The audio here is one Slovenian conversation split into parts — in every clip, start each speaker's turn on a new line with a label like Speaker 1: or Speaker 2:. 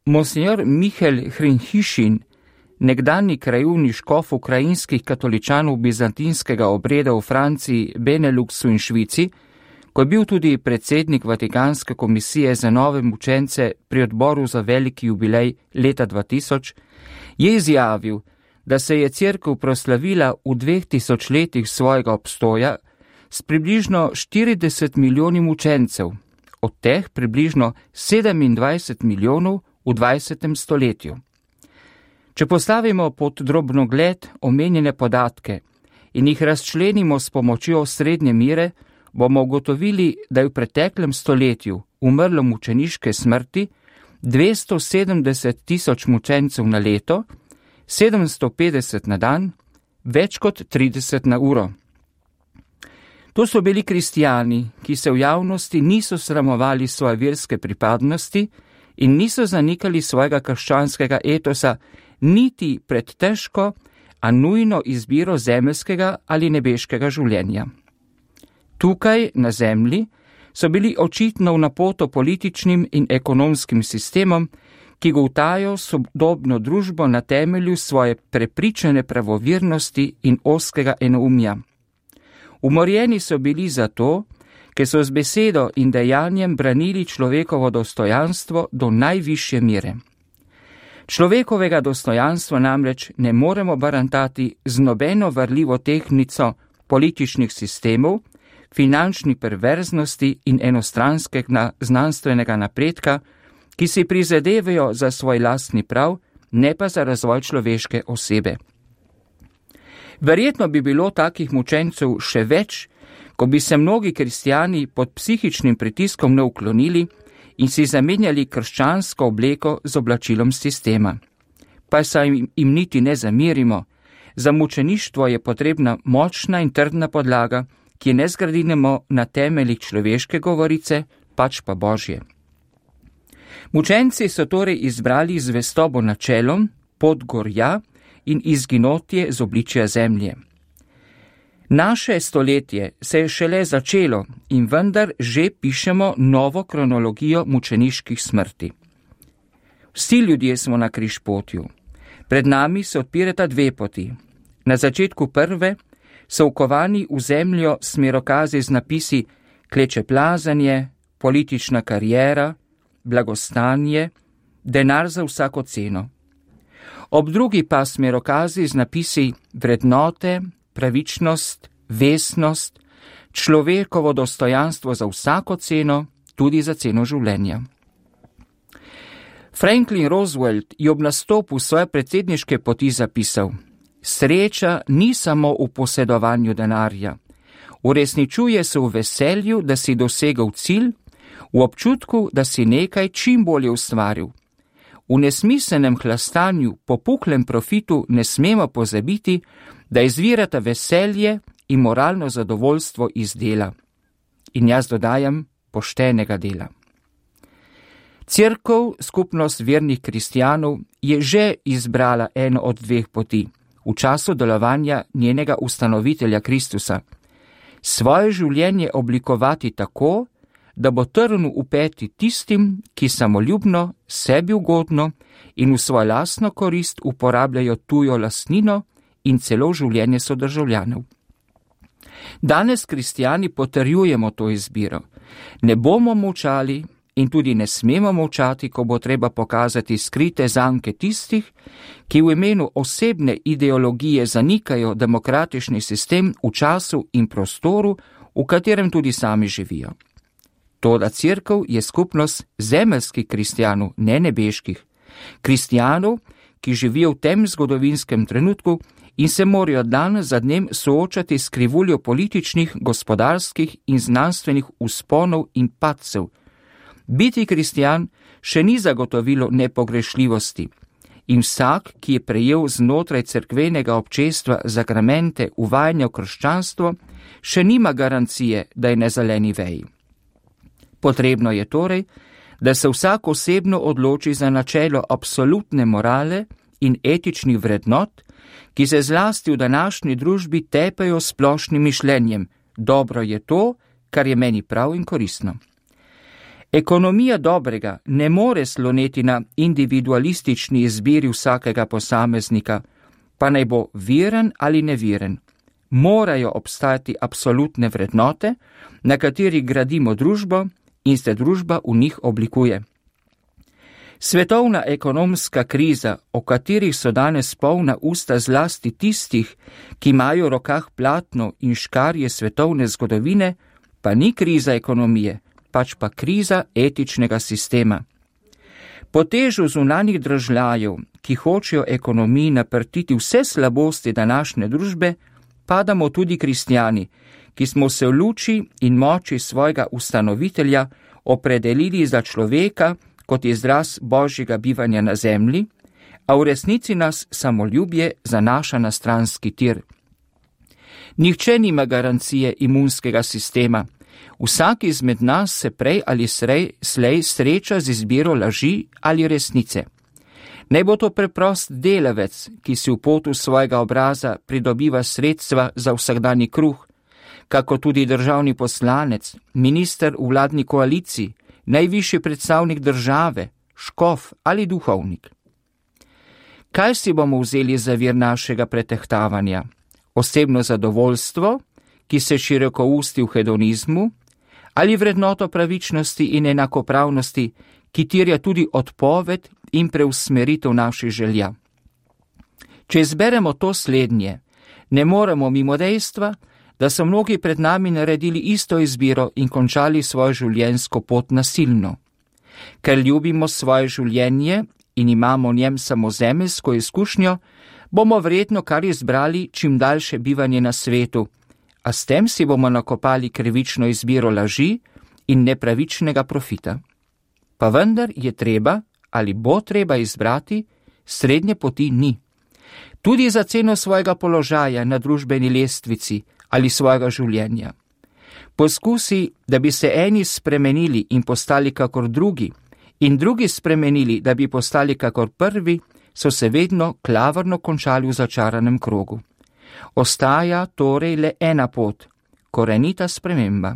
Speaker 1: Monsignor Michael Hrinhišin, nekdanji krajevni škof ukrajinskih katoličanov bizantinskega obreda v Franciji, Beneluxu in Švici, ko je bil tudi predsednik Vatikanske komisije za nove mučence pri odboru za veliki jubilej leta 2000, je izjavil, da se je cerkev proslavila v 2000 letih svojega obstoja s približno 40 milijoni mučencev, od teh približno 27 milijonov v 20. stoletju. Če postavimo pod drobnogled omenjene podatke in jih razčlenimo s pomočjo srednje mere, bomo ugotovili, da je v preteklem stoletju umrlo mučeniške smrti 270 tisoč mučencev na leto, 750 na dan, več kot 30 na uro. To so bili kristijani, ki se v javnosti niso sramovali svoje verske pripadnosti in niso zanikali svojega krščanskega etosa niti pred težko, a nujno izbiro zemeljskega ali nebeškega življenja. Tukaj, na zemlji, so bili očitno v napoto političnim in ekonomskim sistemom, ki goltajo sodobno družbo na temelju svoje prepričane pravovirnosti in ozkega enoumja. Umorjeni so bili zato, ker so z besedo in dejanjem branili človekovo dostojanstvo do najvišje mere. Človekovega dostojanstva namreč ne moremo barantati z nobeno varljivo tehtnico političnih sistemov, finančni perverznosti in enostranskega znanstvenega napredka, ki si prizadevajo za svoj lastni prav, ne pa za razvoj človeške osebe. Verjetno bi bilo takih mučencev še več, ko bi se mnogi kristjani pod psihičnim pritiskom ne uklonili in si zamenjali krščansko obleko z oblačilom sistema. Pa se jim niti ne zamerimo, za mučeništvo je potrebna močna in trdna podlaga, ki ne zgradimo na temeljih človeške govorice, pač pa Božje. Mučenci so torej izbrali zvestobo načelom, pot gorja in izginotje z obličja zemlje. Naše stoletje se je šele začelo in vendar že pišemo novo kronologijo mučeniških smrti. Vsi ljudje smo na križpotju. Pred nami se odpirata dve poti. Na začetku prve so vkovani v zemljo smerokazi z napisi klečeplazanje, politična kariera, blagostanje, denar za vsako ceno. Ob drugi pa smerokazi z napisi vrednote, pravičnost, vestnost, človekovo dostojanstvo za vsako ceno, tudi za ceno življenja. Franklin Roosevelt je ob nastopu svoje predsedniške poti zapisal: sreča ni samo v posedovanju denarja, uresničuje se v veselju, da si dosegel cilj, v občutku, da si nekaj čim bolje ustvaril. V nesmiselnem hlastanju po puhlem profitu ne smemo pozabiti, da izvirata veselje in moralno zadovoljstvo iz dela. In jaz dodajam, poštenega dela. Cerkev, skupnost vernih kristjanov, je že izbrala eno od dveh poti v času delovanja njenega ustanovitelja Kristusa. Svoje življenje oblikovati tako, da bo trn v peti tistim, ki samoljubno, sebi ugodno in v svojo lastno korist uporabljajo tujo lastnino in celo življenje sodržavljanov. Danes kristjani potrjujemo to izbiro. Ne bomo molčali in tudi ne smemo molčati, ko bo treba pokazati skrite zanke tistih, ki v imenu osebne ideologije zanikajo demokratični sistem v času in prostoru, v katerem tudi sami živijo. Toda cerkev je skupnost zemeljskih kristjanov, ne nebeških. Kristjanov, ki živijo v tem zgodovinskem trenutku in se morajo dan za dnem soočati s krivuljo političnih, gospodarskih in znanstvenih vzponov in padcev. Biti kristjan še ni zagotovilo nepogrešljivosti in vsak, ki je prejel znotraj cerkvenega občestva zakramente uvajanja v krščanstvo, še nima garancije, da je na zeleni veji. Potrebno je torej, da se vsak osebno odloči za načelo absolutne morale in etičnih vrednot, ki se zlasti v današnji družbi tepejo splošnim mišljenjem: dobro je to, kar je meni prav in koristno. Ekonomija dobrega ne more sloneti na individualistični izbiri vsakega posameznika, pa naj bo veren ali neviren. Morajo obstajati absolutne vrednote, na katerih gradimo družbo in se družba v njih oblikuje. Svetovna ekonomska kriza, o katerih so danes polna usta zlasti tistih, ki imajo v rokah platno in škarje svetovne zgodovine, pa ni kriza ekonomije, pač pa kriza etičnega sistema. Po težu zunanjih dražljajev, ki hočejo ekonomiji naprtiti vse slabosti današnje družbe, padamo tudi kristjani, ki smo se v luči in moči svojega ustanovitelja opredelili za človeka kot izraz božjega bivanja na zemlji, a v resnici nas samoljubje zanaša na stranski tir. Nihče nima garancije imunskega sistema. Vsak izmed nas se prej ali slej sreča z izbiro laži ali resnice. Naj bo to preprost delavec, ki si v potu svojega obraza pridobiva sredstva za vsakdanji kruh, kako tudi državni poslanec, minister v vladni koaliciji, najvišji predstavnik države, škof ali duhovnik. Kaj si bomo vzeli za vir našega pretehtavanja? Osebno zadovoljstvo, ki se široko usti v hedonizmu, ali vrednoto pravičnosti in enakopravnosti, ki terja tudi odpoved in preusmeritev naših želja? Če izberemo to slednje, ne moremo mimo dejstva, da so mnogi pred nami naredili isto izbiro in končali svojo življenjsko pot nasilno. Ker ljubimo svoje življenje in imamo v njem samo zemeljsko izkušnjo, bomo verjetno kar izbrali čim daljše bivanje na svetu, a s tem si bomo nakopali krivično izbiro laži in nepravičnega profita. Pa vendar je treba ali bo treba izbrati, srednje poti ni. Tudi za ceno svojega položaja na družbeni lestvici ali svojega življenja. Poskusi, da bi se eni spremenili in postali kakor drugi, in drugi spremenili, da bi postali kakor prvi, so se vedno klavrno končali v začaranem krogu. Ostaja torej le ena pot, korenita sprememba.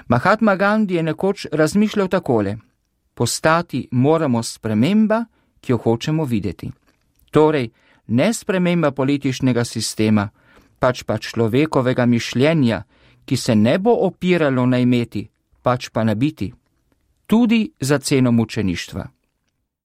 Speaker 1: Mahatma Gandhi je nekoč razmišljal takole: postati moramo sprememba, ki jo hočemo videti. Torej, ne sprememba političnega sistema, pač pa človekovega mišljenja, ki se ne bo opiralo na imeti, pač pa na biti, tudi za ceno mučeništva.